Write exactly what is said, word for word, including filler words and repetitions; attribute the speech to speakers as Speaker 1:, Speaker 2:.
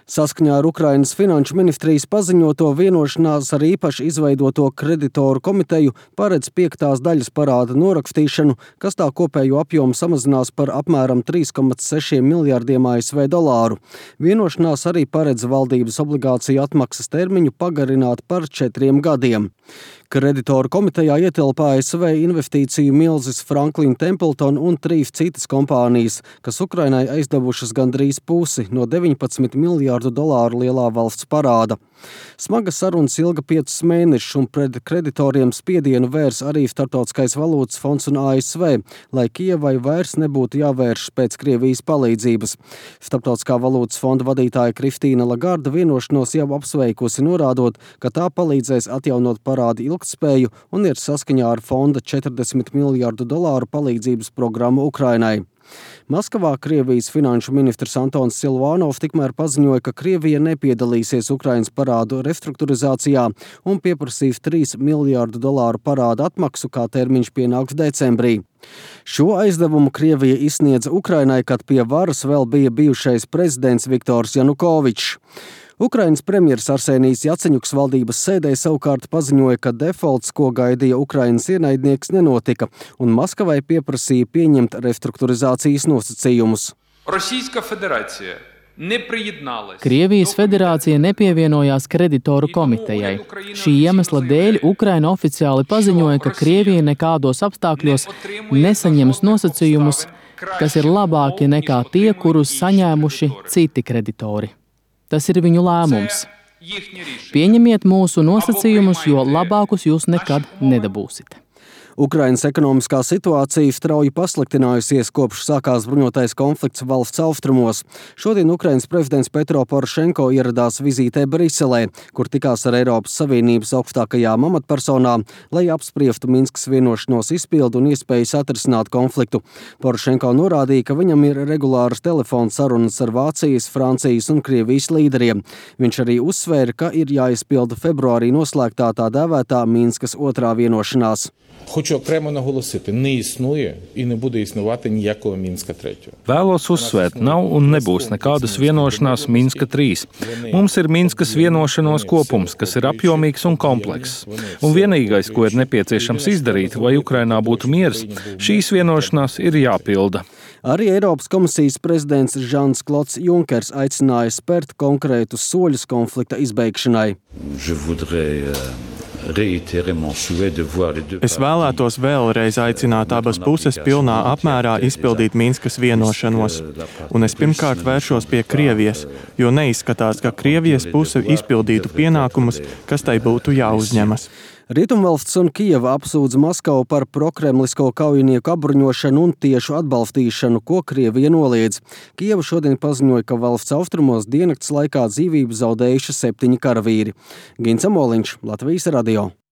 Speaker 1: Saskaņā ar Ukrainas finanšu ministrijas paziņoto vienošanās ar īpaši izveidoto kreditoru komiteju paredz piektās daļas parāda norakstīšanu, kas tā kopējo apjomu samazinās par apmēram trīs komats seši miljardiem A S V dolāru. Vienošanās arī paredz valdības obligāciju atmaksas termiņu pagarināt par četriem gadiem. Kreditoru komitejā ietilpa A S V investīciju milzis Franklin Templeton un trīs citas kompānijas, kas Ukrainai aizdevušas gandrīz pusi no deviņpadsmit miljārdu dolāru lielā valsts parāda. Smaga sarunas ilga piecus mēnešus un pret kreditoriem spiedienu vērs arī Startautiskais valūtas fonds un A S V, lai Kijevai vairs nebūtu jāvēršas pēc Krievijas palīdzības. Starptautiskā valūtas fonda vadītāja Kristīna Lagarde vienošanos jau apsveikusi, norādot, ka tā palīdzēs atjaunot parādu ilgtspēju un ir saskaņā ar fonda četrdesmit miljārdu dolāru palīdzības programmu Ukrainai. Maskavā Krievijas finanšu ministrs Antons Silvanovs tikmēr paziņoja, ka Krievija nepiedalīsies Ukrainas parādu restruktūrizācijā un pieprasīs trīs miljārdu dolāru parādu atmaksu, kā termiņš pienāks decembrī. Šo aizdevumu Krievija izsniedza Ukrainai, kad pie varas vēl bija bijušais prezidents Viktors Janukovičs. Ukrainas premjers Arsenijs Jaceņuks valdības sēdē savukārt paziņoja, ka defolts, ko gaidīja Ukrainas ienaidnieks, nenotika, un Maskavai pieprasīja pieņemt restruktūrizācijas nosacījumus.
Speaker 2: Krievijas federācija nepievienojās kreditoru komitejai. Šī iemesla dēļ Ukraina oficiāli paziņoja, ka Krievija nekādos apstākļos nesaņems nosacījumus, kas ir labāki nekā tie, kurus saņēmuši citi kreditori. Tas ir viņu lēmums. Pieņemiet mūsu nosacījumus, jo labākus jūs nekad nedabūsiet.
Speaker 1: Ukrainas ekonomiskā situācija strauji pasliktinājusies, kopš sākās bruņotais konflikts valsts austrumos. Šodien Ukrainas prezidents Petro Porošenko ieradās vizītē Briselē, kur tikās ar Eiropas Savienības augstākajām amatpersonām, lai apspriestu Minskas vienošanos izpildu un iespējas atrisināt konfliktu. Porošenko norādīja, ka viņam ir regulāras telefona sarunas ar Vācijas, Francijas un Krievijas līderiem. Viņš arī uzsvēra, ka ir jāizpilda februārī noslēgtā tā dēvētā Minskas otrā vienošanās.
Speaker 3: Хочу окремо наголосити, не існує і не буде існувати ніякого Мінська третього.
Speaker 4: Vēlos uzsvērt, nav un nebūs nekādas vienošanās Minska trīs. Mums ir Minskas vienošanos kopums, kas ir apjomīgs un komplekss. Un vienīgais, ko ir nepieciešams izdarīt, lai Ukrainā būtu miers, šīs vienošanās ir jāpilda.
Speaker 1: Arī Eiropas komisijas prezidents Žans Klods Junkers aicināja spērt konkrētus soļus konflikta izbeigšanai.
Speaker 5: Es vēlētos vēlreiz aicināt abas puses pilnā apmērā izpildīt Minskas vienošanos. Un es pirmkārt vēršos pie Krievijas, jo neizskatās, ka Krievijas puse izpildītu pienākumus, kas tai būtu jāuzņemas.
Speaker 1: Rietumvalsts un Kijeva apsūdz Maskavu par prokremlisko kaujinieku apbruņošanu un tiešu atbalstīšanu, ko Krievija noliedz. Kijeva šodien paziņoja, ka valsts austrumos diennakts laikā dzīvību zaudējuši septiņi karavīri. Gins Amoliņš, Latvijas radio.